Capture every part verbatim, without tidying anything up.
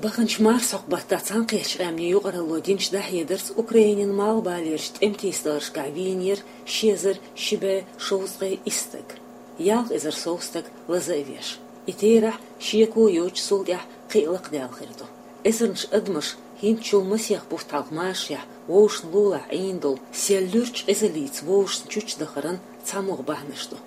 Баханчу марсхьокху баттахь Цхьаьнакхеттачу къаьмнийн юкъаралло динчу дӀахьедарца Украинин малхбалерчу тӀематийсадаларшкахь вийнера ши эзар ши бӀе шовзткъе исс стаг. Ялх эзар сов стаг лаза а веш. И терахь шеко йоцуш цул тӀаьхьа кхин а лакхадаьлла хир ду. Эзарнаш адамаш хӀинцачул масех бутт хьалха машарехь вовшашна лулахь Ӏийна долу сел луьрачу къизаллица вовшашна чучча дахаран цхьамогӀа бахьанаш ду.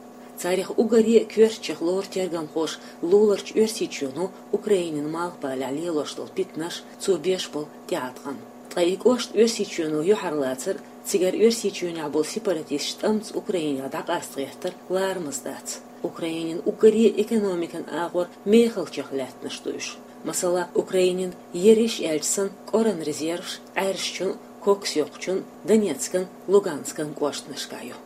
Царах уггаре а коьртачех лору тергамхоша луларчу Оьрсийчоьно Украинин малхбалехь лелош долу питанаш, цо беш болу тӀеӀаткъам. Ткъа и кӀошт Оьрсийчоьно юьхьарлацар а, цигара Оьрсийчоьнехь болу сепаратисташ тӀамца Украинехь дӀакъастагӀеттар а ларамаза дац. Украинин уггаре а экономикан агӀор мехалчех лаьттанаш ду уьш. Масала, Украинин ерриш аьлча санна кӀоран резерваш Ӏаьржачун а, коксйоккхучун а, Донецкан, Луганскан кӀоштанашкахь ю.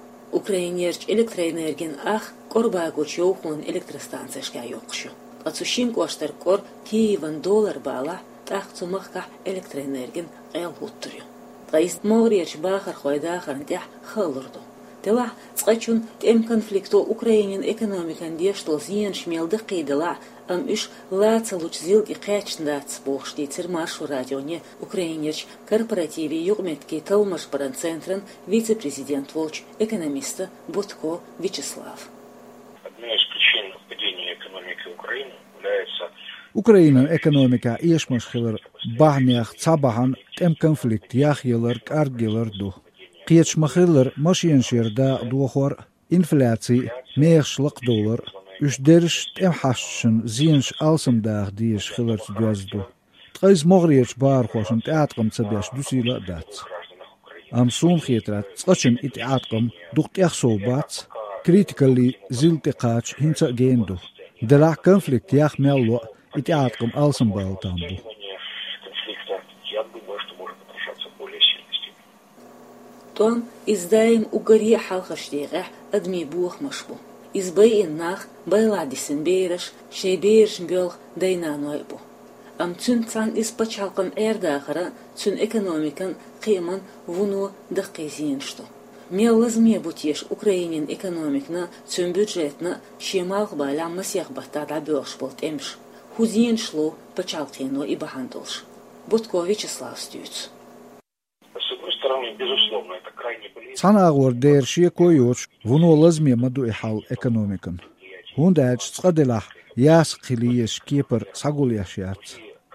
Украинерчу электроэнергин ах кӀорбагочу йовхонан электростанцешкахь йоккхуш ю. Ткъа цу шина кӀоштара кӀор Киеван долара балахь, тӀаккха цу махкахь электроэнергин къел хӀуттур ю. Ткъа иза могӀарерчу бахархойн дахарна тӀехь хаалур ду. Делахь, цкъачунна тӀеман конфликто Украинин экономикана деш долу зенаш мел даккхийделахь а, амма уьш ла ца лучу зил тӀе кхаьчна дац, бохуш дийцира Маршо радионе Украинерчу корпоративийн юкъаметтигийн талламаш баран центран вице-президент волчу экономиста Бутко Вячеслава. Одна из причин падения экономики Украины является Украинан экономикехь эшамаш хилар бахьанех цхьа бахьана тӀеман конфликт яхъялар, кӀаргъялар ду. Кхеташ ма-хиллара, машенаш яр дакъа дохор а, инфляци а, мехаш лакхадовлар а, уьш дерриш тӀеман хьашташна зенаш алсамдаха дезаш хиларца доьзна ду. Ткъа иза могӀарерчу бахархошна тӀеӀаткъам ца беш дуьсийла а дац. Амма суна хетарехь, цкъачунна и тӀеӀаткъам дукха тӀех сов бац, критикаллин зил тӀе кхача хӀинца а гена ду. Делахь, конфликт яха мел ло а, и тӀеӀаткъам алсамбала там бу. ТӀом иза даим уггаре а хьалхарчу декъехь адамийн бохамаш бу. Иза байина нах, байлахь дисина бераш, шайн берашна боьлху дай-наной а бу. Амма цуьнца цхьаьна иза пачхьалкхан Ӏер-дахаран, цуьнан экономикан, кхиаман вуно даккхий зенаш ду. Мел лазаме бу теша Украинин экономикана, цуьнан бюджетана шен малхбалехь масех баттахь дӀабоьлхуш болу тӀемаш? ХӀун зенаш ло пачхьалкхено и бахьана долуш? Бутко Вячеславс дуьйцу. С одной стороны, безусловно, это крайне болезненно. Цхьана агӀор дера шеко йоцуш, вуно лазаме ма ду и хьал экономикан. ХӀунда аьлча цкъа делахь ясакх хила езаш кепара схьагулъеш яц.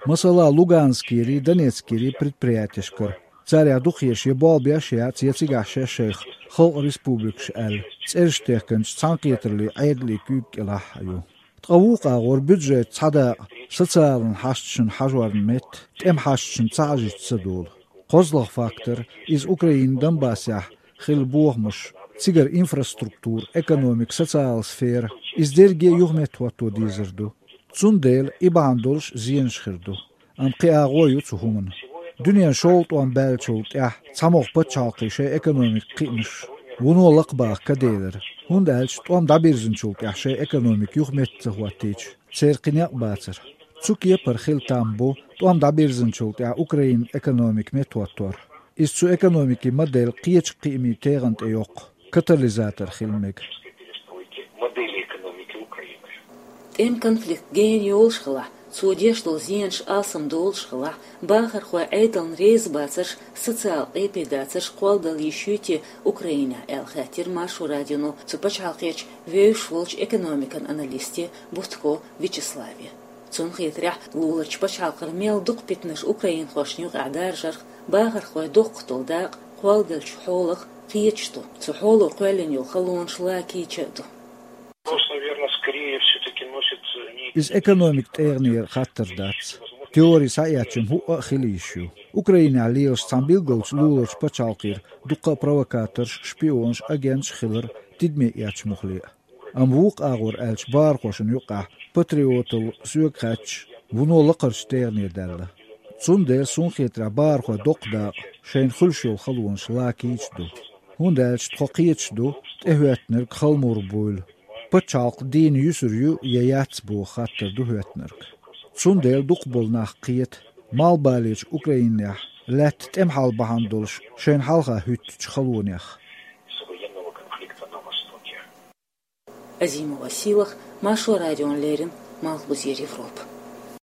Масала, Луганскерий, Донецкерий предприятешкара. Царех дукхаерш я болх беш яц, я цигахь шаьш шайх халкъан республикаш аьлла, цӀераш техканчу Цхьаьнакхетараллин Ӏедалан куьйга кӀелахь а ю. Ткъа вукху агӀор бюджетан цхьа дакъа социалан хьашташна хьажорна метта тӀеман хьашташна ца хьажийта ца долу. КхозлагӀа фактор, иза Украинан Донбассехь хилла бохамаш, цигара инфраструктура, экономика, социалан сфера, иза дерриге а юхаметта хӀотто дезар ду. Цундела и бахьана долуш зенаш хир ду. Амма кхин агӀо ю цу хӀуманан. Дуьненан шолгӀа тӀом баьллачул тӀаьхьа цхьамогӀа пачхьалкхе шайн экономикан кхиамаш вуно лакхабаха ка делира, хӀунда аьлча тӀом дӀабирзинчул тӀаьхьа шайн экономика юхаметта ца хӀоттийча, церан кхин некъ бацара. Цу кепара хила там бу тӀом дӀабирзинчул тӀаьхьа Украинан экономика меттахӀоттор. Иза цу экономикин модель кхечу кхиамийн тегӀан тӀе йоккху, катализатор хила мега. ТӀеман конфликт гена йолуш хилахь, цо деш долу зенаш алсам долуш хилахь, бахархой Ӏедална реза бацарш, социал къепе дацарш кхолладала йиш юй те Украинехь аьлла хаьттира Маршо радионо цу пачхьалкхерчу вевзаш волчу экономикан аналисте Бутко Вячеславе. Цунна хетарехь, луларчу пачхьалкхара мел дукха питанаш украинхошна юкъахь даржарх бахархойн доккхах долу дакъа кхолладеллачу хьолах кхеташ ду, цу хьоло кхоьллина йолу халонаш ла кийча а ду. Вопрос, наверное, скорее всё-таки носит не... Иза экономикан тӀегӀанера хаттар дац. Теори схьаэцча-м хӀуъа а хила йиш ю. Украинехь лелаш цхьана билгалчу луларчу пачхьалкхера дуккха а провокаторш, шпионаш, агенташ хилар тидаме эцча муххале а. Амма вукху агӀор аьлча, бахархошна юкъахь патриоталла соьга хаьттича, вуно лакхарчу тӀегӀане даьлла. Цундела, суна хетарехь, бахархойн доккха дакъа шайна хуьлуш йолу халонаш ла кийча ду. ХӀунда аьлча тхо кхеташ ду тӀехӀоьттинарг хала мур буйла, пачхьалкх дийна юьсур ю я яц боху хаттар ду хӀоьттинарг. Цундела дукхахболу нах кхета малхбалечу Украинехь лаьтта тӀеман хьал бахьана долуш шайна хьалха хӀуьттучу халонех. Азимова Сийлаха, Маршо радиона леррина, Малхбузера Европа.